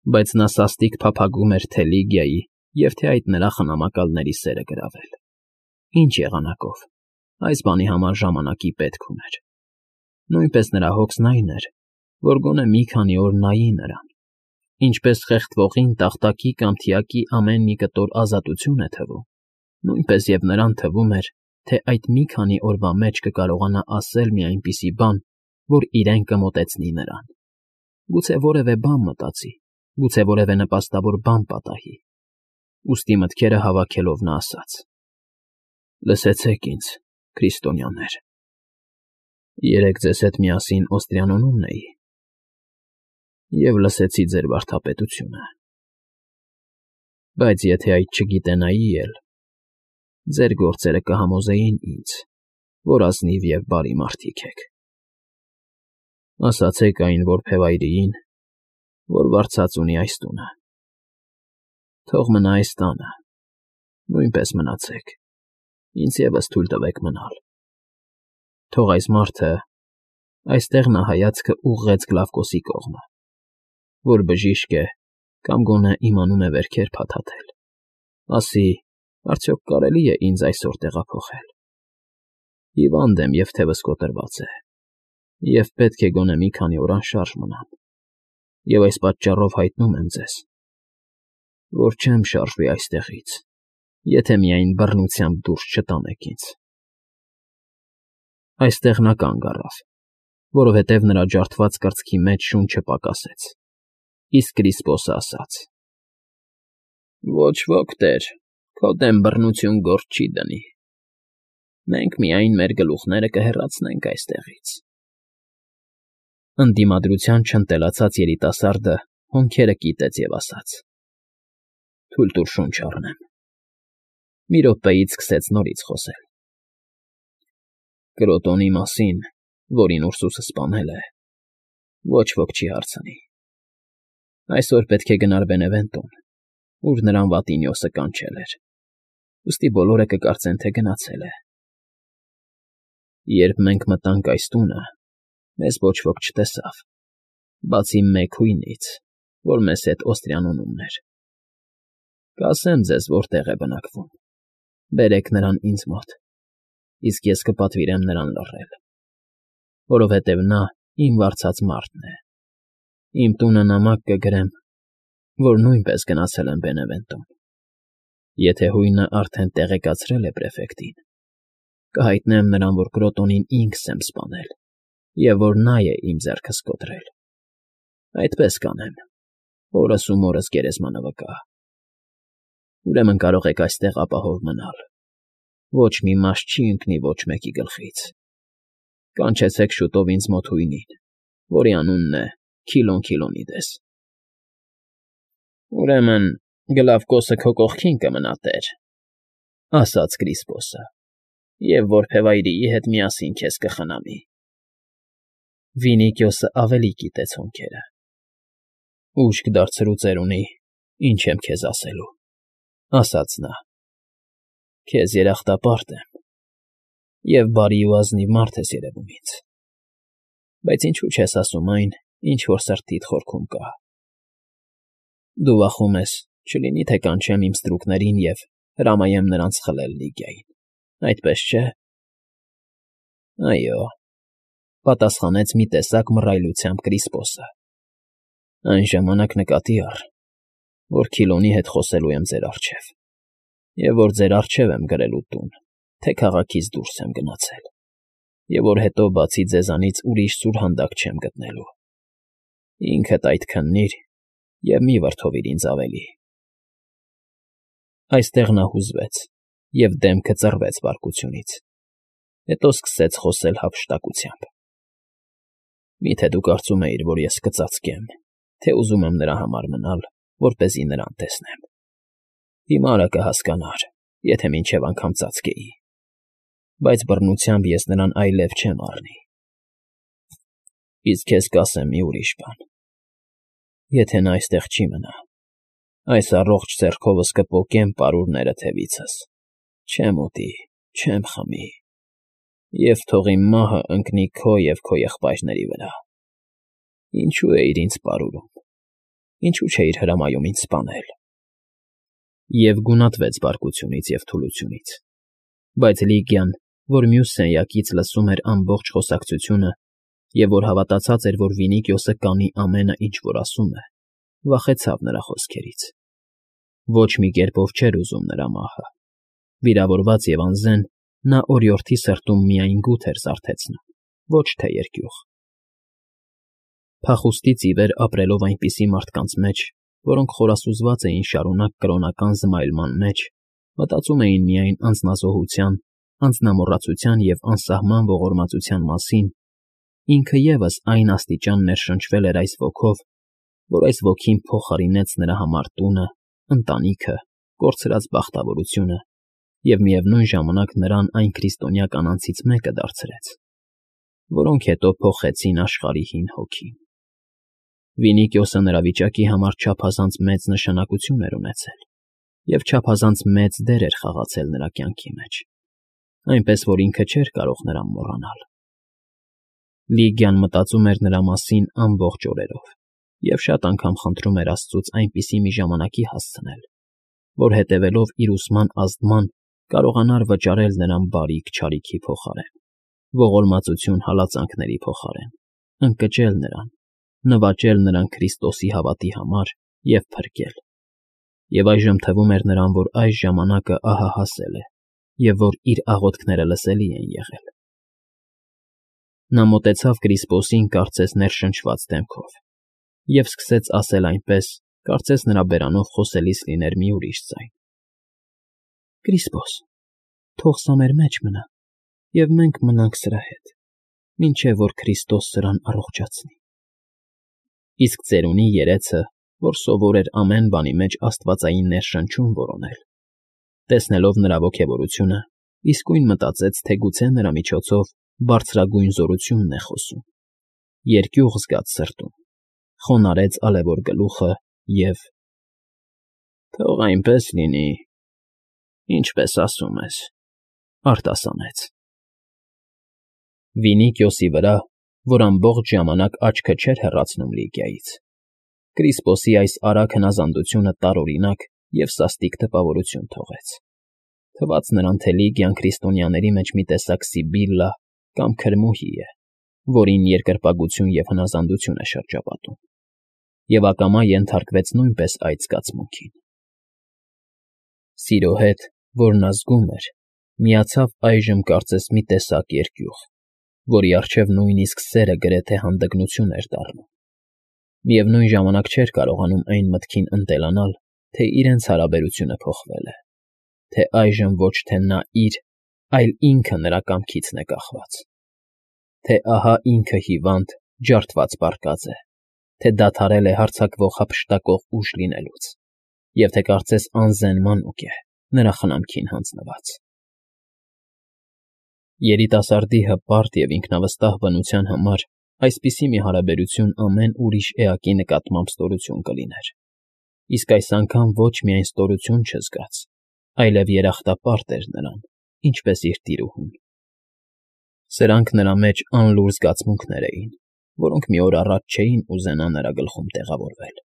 Բայց նա սաստիկ փափագում էր թե Լիգիայի և թե այդ նրա խնամակալների սերը գրավել։ Ինչ եղանակով, այս բանի համար ժամանակի պետք ուներ։ Նույնպես նրա հոգսն այն էր, որ գոնե մի քանի օր նայի նրան, ինչպես խեղդվողին տախտակի կամ թիակի ամեն մի կտոր ազատություն է թվում, նույնպես և նրան թվում էր, թե այդ մի քանի օրվա մեջ կկարողանա ասել մի այնպիսի բան, որ իրեն կմոտեցնի նրան։ Գուցե որևէ բան մտածի, գուցե որևէ նպաստավոր բան պատահի։ Ուստի մտքերը հավաքելով նա ասաց. «Լսեցեք ինձ, քրիստոնյաներ, երեկ ձեզ հետ միասին Օստրիանոնում էի և լսեցի ձեր վարդապետությունը, բայց եթե այդ չգիտենայի էլ, ձեր գործերը կհամոզեին ինձ, որ ազնիվ և բարի մարդիկ եք։ Ասացեք այն որբևայրիին, որ վարձած ունի այս տունը, թող մնա այս տանը, նույնպես մնացեք, ինձ ևս թույլ տվեք մնալ։ Թող այս մարդը, այստեղ նա հայացքը ուղղեց Գլավկոսի կողմը, որ բժիշկ է կամ գոնե իմանում է վերքեր փաթաթել, ասի, արդյոք կարելի է ինձ այսօր տեղափոխել։ Հիվանդ եմ և թևս կոտրված է, և պետք է գոնե մի քանի օր անշարժ մնամ, և այս պատճառով հայտնում եմ ձեզ, որ չեմ շարժվի այստեղից, եթե միայն բռնությամբ դուրս չտանեք ինձ»։ Այստեղ նա կանգ առավ, որովհետև նրա ջարդված կրծքի մեջ շունչը պակասեց, իսկ Կրիսպոսը ասաց. «Ոչ ոք, տեր, քո դեմ բռնություն գործ չի դնի, մենք միայն մեր գլուխները կհեռացնենք այստեղից»։ Ընդդիմադրության չընտելացած երիտասարդը հոնքերը կիտեց և ասաց. «Թույլ տուր շունչ առնեմ»։ Մի րոպեից սկսեց նորից խոսել. «Կրոտոնի մասին, որին Ուրսուսը սպանել է, ոչ ոք չի հարցնի։ Այսօր պետք է գնար Բենևենտոն, ուր նրան Վատինիոսը կանչել էր, ուստի բոլորը կկարծեն, թե գնացել է։ Երբ մենք մտանք այս տունը, մեզ ոչ ոք չտեսավ, բացի մեկ հույնից, որ մեզ հետ Օստրիանոնումն էր։ Կասեմ ձեզ որտեղ է բնակվում, բերեք նրան ինձ մոտ, իսկ ես կպատվիրեմ նրան լռել, որովհետև նա իմ վարձած մարդն է։ Իմ տունը նամակ կգրեմ, որ նույնպես գնացել եմ Բենևենտոն։ Եթե հույնը արդեն տեղեկացրել է պրեֆեկտին, կհայտնեմ նրան, որ Կրոտոնին ինքս եմ սպանել և որ նա է իմ ձեռքս կոտրել։ Այդպես կանեմ, օրս ու մորս գերեզմանը վկա։ Ուրեմն կարող եք այստեղ ապահով մնալ, ոչ մի մաս չի ընկնի ոչ մեկի գլխից։ Կանչեցեք շուտով ինձ մոտ հույնին, որի անունն է Քիլոն Քիլոնիդես»։ «Ուրեմն Գլավկոսը քո կողքին կմնա, տեր», ֊ ասաց Կրիսպոսը, «և որբևայրիի հետ միասին քեզ կխնամի»։ Վինիկիոսը ավելի կիտեց հոնքերը։ «Ուշք դարձրու ծերունի, ինչ եմ քեզ ասելու», ֊ ասաց նա։ «Քեզ երախտապարտ եմ, և բարի ու ազնիվ մարդ ես երևում ինձ, բայց ինչո՞ւ չես ասում այն, ինչ որ սրտիդ խորքում կա։ Դու վախում ես, չլինի թե կանչեմ իմ ստրուկներին և հրամայեմ նրանց խլել Լիգիային, այդպես չէ՞։ ֊ Այո,֊ պատասխանեց մի տեսակ մռայլությամբ Կրիսպոսը։ «Այն ժամանակ նկատի առ, որ Քիլոնի հետ խոսելու եմ ձեր առջև, և որ ձեր առջև եմ գրելու տուն, թե քաղաքից դուրս եմ գնացել, և որ հետո բացի ձեզանից ուրիշ սուրհանդակ չեմ գտնելու։ Ինքդ այդ քննիր և մի վրդովիր ինձ ավելի»։ Այստեղ նա հուզվեց և դեմքը ծռվեց բարկությունից, հետո սկսեց խոսել հափշտակությամբ. «Մի՞թե դու կարծում էիր, որ ես կծածկեմ, թե ուզում եմ նրա համար մնալ, որպեսզի նրան տեսնեմ։ Հիմարը կհասկանար, եթե մինչև անգամ ծածկեի, բայց բռնությամբ ես նրան այլև չեմ առնի։ Իսկ քեզ կասեմ մի ուրիշ բան. եթե նա այստեղ չի մնա, այս առողջ ձեռքովս կպոկեմ պարուրները թևիցս, չեմ ուտի, չեմ խմի, և թող իմ մահը ընկնի քո և քո եղբայրների վրա։ Ինչո՞ւ էիր ինձ պարուրում, ինչու չէիր հրամայում ինձ սպանել։ Եվ գունատվեց բարկությունից և թուլությունից, բայց Լիգիան, որ մյուս սենյակից լսում էր ամբողջ խոսակցությունը և որ հավատացած էր, որ Վինիկիոսը կանի ամենը, ինչ որ ասում է, վախեցավ նրա խոսքերից։ Ոչ մի կերպով չէր ուզում նրա մահը։ Վիրավորված և անզեն, նա օրիորդի սրտում միայն գութ էր զարթեցնում, ոչ թե երկյուղ։ Փախուստից ի վեր ապրելով այնպիսի մարդկանց մեջ, որոնք խորասուզված էին շարունակ կրոնական զմայլման մեջ, մտածում էին միայն անձնազոհության, անձնամոռացության և անսահման ողորմածության մասին, ինքը ևս այն աստիճան ներշնչվել էր այս ոգով, որ այս ոգին փոխարինեց նրա համար տունը, ընտանիքը, կորցրած բախտավորությունը և միևնույն ժամանակ նրան այն քրիստոնյա կանանցից մեկը դարձրեց, որոնք հետո փոխեցին աշխարհի հին հոգին։ Վինիկիոսը նրա վիճակի համար չափազանց մեծ նշանակություն էր ունեցել և չափազանց մեծ դեր էր խաղացել նրա կյանքի մեջ, այնպես որ ինքը չէր կարող նրան մոռանալ։ Լիգիան մտածում էր նրա մասին ամբողջ օրերով և շատ անգամ խնդրում էր Աստծուց այնպիսի մի ժամանակի հասցնել, որ հետևելով իր ուսման ազդման կարողանար վճարել նրան բարիք֊չարիքի փոխարեն, ողորմածություն հալածանքների փոխարեն, ընկճել նրան, նվաճել նրան Քրիստոսի հավատի համար և փրկել։ Եվ այժմ թվում էր նրան, որ այս ժամանակը ահա հասել է և որ իր աղոթքները լսելի են եղել։ Նա մոտեցավ Կրիսպոսին կարծես ներշնչված դեմքով և սկսեց ասել այնպես, կարծես նրա բերանով խոսելիս լիներ մի ուրիշ ձայն. «Կրիսպոս, թող սա մեր մեջ մնա, և մենք մնանք սրա հետ, մինչև որ Քրիստոս սրան առողջացնի»։ Իսկ ծերունի երեցը, որ սովոր էր ամեն բանի մեջ աստվածային ներշնչում որոնել, տեսնելով նրա ոգևորությունը, իսկույն մտածեց, թե գուցե նրա միջոցով բարձրագույն զորությունն է խոսում, երկյուղ զգաց սրտում, խոնարհեց ալևոր գլուխը և. «Թող այնպես լինի, ինչպես ասում ես», արտասանեց։ Վինիկիոսի վրա, որ ամբողջ ժամանակ աչքը չէր հեռացնում Լիգիայից, Կրիսպոսի այս արագ հնազանդությունը տարօրինակ և սաստիկ տպավորություն թողեց։ Թվաց նրան, թե Լիգիան քրիստոնյաների մեջ մի տեսակ Սիբիլլա կամ քրմուհի է, որին երկրպագություն և հնազանդություն է շրջապատում, և ակամա ենթարկվեց նույնպես այդ զգացմունքին։ Սիրո հետ, որ նա զգում էր, միացավ այժմ կարծես մի տեսակ երկյուղ, որի առջև նույնիսկ սերը գրեթե հանդգնություն էր դառնում։ Միևնույն ժամանակ չէր կարողանում այն մտքին ընտելանալ, թե իրենց հարաբերությունը փոխվել է, թե այժմ ոչ թե նա իր, այլ ինքը նրա կամքիցն է կախված, թե ահա ինքը հիվանդ, ջարդված պառկած է, թե դադարել է հարձակվող հափշտակող ուժ լինելուց, և թե կարծես անզեն մանուկ է, նրա խնամքին հանձնված։ Երիտասարդի հպարտ և ինքնավստահ բնության համար այսպիսի մի հարաբերություն ամեն ուրիշ էակի նկատմամբ ստորություն կլիներ, իսկ այս անգամ ոչ միայն ստորություն չզգաց, այլև երախտապարտ էր նրան, ինչպես իր տիրուհուն։ Սրանք նրա մեջ անլուռ զգացմունքներ էին, որոնք մի օր առաջ չէին ուզենա նրա գլխում տեղավորվել,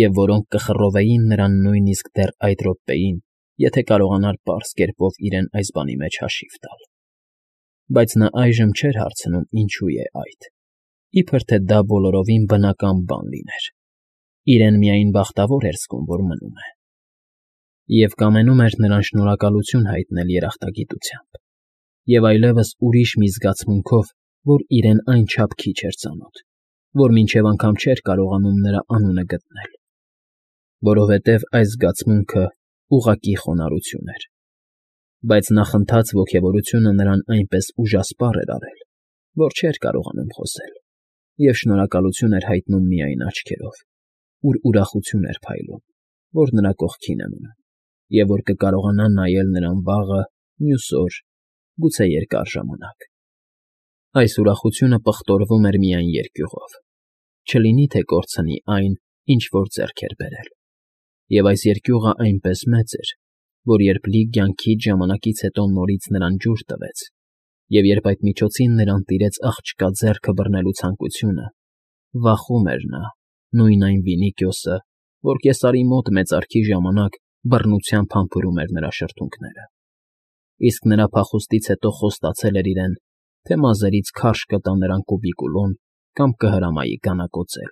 և որոնք կխռովեին նրան նույնիսկ դեռ այդ րոպեին, եթե կարողանար պարզ կերպով իրեն այս բանի մեջ հաշիվ տալ։ Բայց նա այժմ չէր հարցնում ինչու է այդ, իբր թե դա բոլորովին բնական բան լիներ, իրեն միայն բախտավոր էր զգում, որ մնում է։ Եվ կամենում էր նրան շնորհակալություն հայտնել երախտագիտությամբ, և այլևս ուրիշ մի զգացմունքով, որ իրեն այնչափ քիչ էր ծանոթ, որ մինչև անգամ չէր կարողանում նրա անունը գտնել, որովհետև այս զգացմունքը ուղղակի խոնարհություն էր։ Բայց նախընթաց ոգևորությունը նրան այնպես ուժասպառ էր արել, որ չէր կարողանում խոսել, և շնորհակալություն էր հայտնում միայն աչքերով, ուր ուրախություն էր փայլում, որ նրա կողքին է մնում, և որ կկարողանա նայել նրան վաղը, մյուս օր, գուցե երկար ժամանակ։ Այս ուրախությունը պղտորվում էր միայն երկյուղով, չլինի թե կորցնի այն, ինչ որ ձեռք էր բերել։ Եվ այս երկյուղը այնպես մեծ էր, որ երբ Լիգիան քիչ ժամանակից հետո նորից նրան ջուր տվեց, և երբ այդ միջոցին նրան տիրեց աղջկա ձեռքը բռնելու ցանկությունը, վախում էր նա, նույն այն Վինիկիոսը, որ կեսարի մոտ մեծարգի ժամանակ բռնությամբ համբուրում էր նրա շրթունքները, իսկ նրա փախուստից հետո խոստացել էր իրեն, թե մազերից քարշ կտա նրան կուբիկուլոն կամ կհրամայի գանակոծել։